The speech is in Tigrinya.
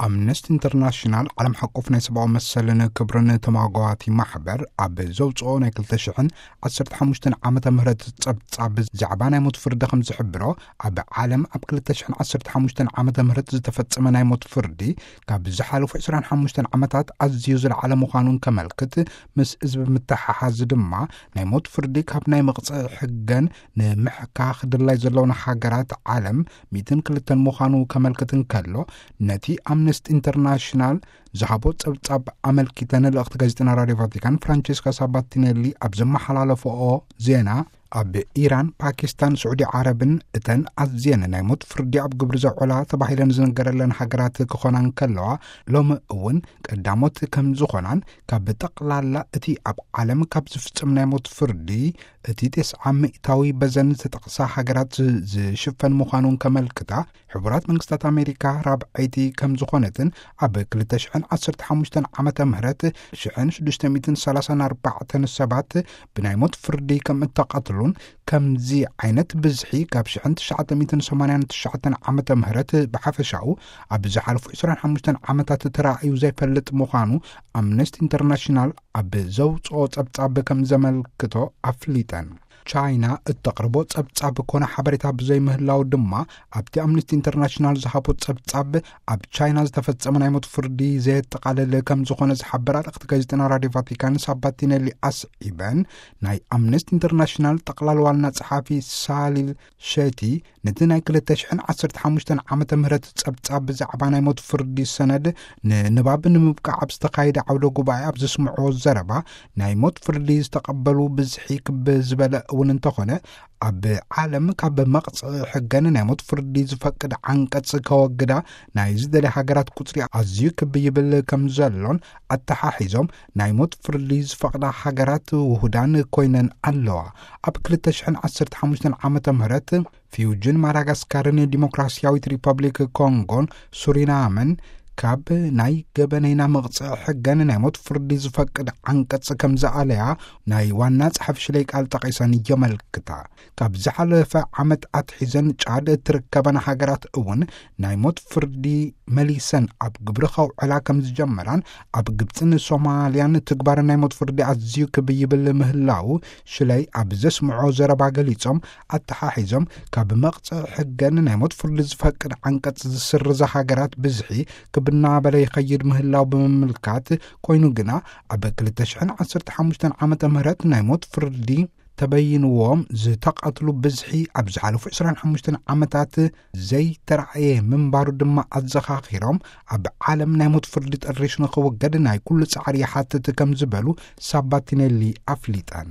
ኣምነስቲ ኢንተርናሽናል፣ ዓለም ሓቆፍ ናይ ሰብኣዊ መሰልን ክብርን ተማጓቲ ማሕበር፣ ኣብ ዘውፅኦ ናይ ክልተ ሽሕን ዓሰርተ ሓሙሽተን ዓመተ ምህረት ጸብጻብ፣ ዛዕባ ናይ ሞት ፍርዲ ከም ዝሕብሮ፣ ኣብ ዓለም ኣብ ክልተ ሽሕን ዓሰርተ ሓሙሽተን ዓመተ ምህረት ዝተፈጸመ ናይ ሞት ፍርዲ፣ ካብ ዝሓለፉ ዕስራን ሓሙሽተን ዓመታት ኣዝዩ ዝለዓለ ምዃኑን ከመልክት፣ ምስ እዚ ብምትሓሓዝ ድማ፣ ናይ ሞት ፍርዲ ካብ ናይ መቕጽዒ ሕገን ንምሕካኽ ድላይ ዘለውን ሃገራት ዓለም ሚእትን ክልተን ምዃኑ ከመልክት እንከሎ፣ ነቲ ኣምነስቲ ኢንተርናሽናል ዝሃቦ ጸብጻብ ኣመልኪተን ልእኽቲ ጋዜጠና ራድዮ ቫቲካን ፍራንቸስካ ሳባቲኔሊ ኣብ ዘመሓላለፈኦ ዜና፣ ኣብ ኢራን፣ ፓኪስታን፣ ስዑዲ ዓረብን እተን ኣዝየን ናይ ሞት ፍርዲ ኣብ ግብሪ ዘውዕላ ተባሂለን ዝነገረለን ሃገራት ክኾና እንከለዋ፣ ሎሚ እውን ቀዳሞት ከም ዝኾናን፣ ካብ ጠቕላላ እቲ ኣብ ዓለም ካብ ዝፍጸም ናይ ሞት ፍርዲ፣ እቲ ተስዓ ሚእታዊ በዘን ዝተጠቕሳ ሃገራት ዝ-፣ ዝሽፈን ምዃኑን ከመልክታ፣ ሕቡራት መንግስታት ኣሜሪካ ራብዐይቲ ከም ዝኾነትን፣ ኣብ ክልተ ሽሕን ዓሰርተ ሓሙሽተን ዓመተ ምህረት ሽሕን ሽዱሽተ ሚእትን ሰላሳን ኣርባዕተን ሰባት ብናይ ሞት ፍርዲ ከም እተቐትሉን፣ ከምዚ ዓይነት ብዝሒ ካብ ሽሕን ትሽዓተ ሚእትን ሰማንያን ትሽዓተን ዓመተ ምህረት ብሓፈሻኡ ኣብ ዝሓለፉ ዕስራን ሓሙሽተን ዓመታት ተራእዩ ዘይፈልጥ ምዃኑ ኣምነስቲ ኢንተርናሽናል ኣብ ዘውፅኦ ጸብጻብ ከም ዘመልክቶ ኣፍሊጠን። ቻይና እተቕርቦ ጸብጻብ ኮነ ሓበሬታ ብዘይምህላው ድማ፣ ኣብቲ ኣምነስቲ ኢንተርናሽናል ዝሃቦ ጸብጻብ፣ ኣብ ቻይና ዝተፈጸመ ናይ ሞት ፍርዲ ዘየጠቓልል ከም ዝኾነ ዝሓበራ ልእኽቲ ጋዜጠና ራድዮ ቫቲካን ሳባቲኔሊ ኣስዒበን፣ ናይ ኣምነስቲ ኢንተርናሽናል ጠቕላል ዋና ጸሓፊ ሳሊል ሸቲ፣ ነቲ ናይ ክልተ ሽሕን ዓሰርተ ሓሙሽተን ዓመተ ምህረት ጸብጻብ ብዛዕባ ናይ ሞት ፍርዲ ሰነድ ንንባብ ንምብቃዕ ኣብ ዝተኻየደ ዓውደ ጉባኤ ኣብ ዘስምዖ ዘረባ፣ ናይ ሞት ፍርዲ ዝተቐበሉ ብዝሒ ክብ ዝበለ እውን እንተኾነ፣ ኣብ ዓለም ካብ መቕጽዒ ሕገን ናይ ሞት ፍርዲ ዝፈቅድ ዓንቀጽ ከወግዳ ናይ ዝደልያ ሃገራት ቁጽሪ ኣዝዩ ክብ ይብል ከም ዘሎን ኣተሓሒዞም፣ ናይ ሞት ፍርዲ ዝፈቕዳ ሃገራት ውሁዳን ኮይነን ኣለዋ። ኣብ ክልተ ሽሕን ዓሰርተ ሓሙሽተን ዓመተ ምህረት፣ ፊውጅን ማዳጋስካርን ዲሞክራሲያዊት ሪፐብሊክ ኮንጎን ሱሪናምን ካብ ናይ ገበነይና መቕጽዒ ሕገን ናይ ሞት ፍርዲ ዝፈቅድ ዓንቀጽ ከም ዝኣለያ ናይ ዋና ጸሓፊ ሽለይ ቃል ጠቒሰን የመልክታ። ካብ ዝሓለፈ ዓመት ኣትሒዘን ጫድ እትርከበን ሃገራት እውን ናይ ሞት ፍርዲ መሊሰን ኣብ ግብሪ ከውዕላ ከም ዝጀመራን፣ ኣብ ግብጽን ሶማልያን ትግባር ናይ ሞት ፍርዲ ኣዝዩ ክብ ይብል ምህላው ሽለይ ኣብ ዘስምዖ ዘረባ ገሊጾም፣ ኣተሓሒዞም፣ ካብ መቕጽዒ ሕገን ናይ ሞት ፍርዲ ዝፈቅድ ዓንቀጽ ዝስርዛ ሃገራት ብዝሒ ክብ እናበለ ይኸይድ ምህላው ብምምልካት፣ ኮይኑ ግና ኣብ ክልተ ሽሕን ዓሰርተ ሓሙሽተን ዓመተ ምህረት ናይ ሞት ፍርዲ ተበይንዎም ዝተቐትሉ ብዝሒ ኣብ ዝሓለፉ ዕስራን ሓሙሽተን ዓመታት ዘይተራእየ ምንባሩ ድማ ኣዘኻኺሮም፣ ኣብ ዓለም ናይ ሞት ፍርዲ ጠሪሹ ንኽውገድ ናይ ኩሉ ጻዕሪ ይሓትት ከም ዝበሉ ሳባቲኔሊ ኣፍሊጠን።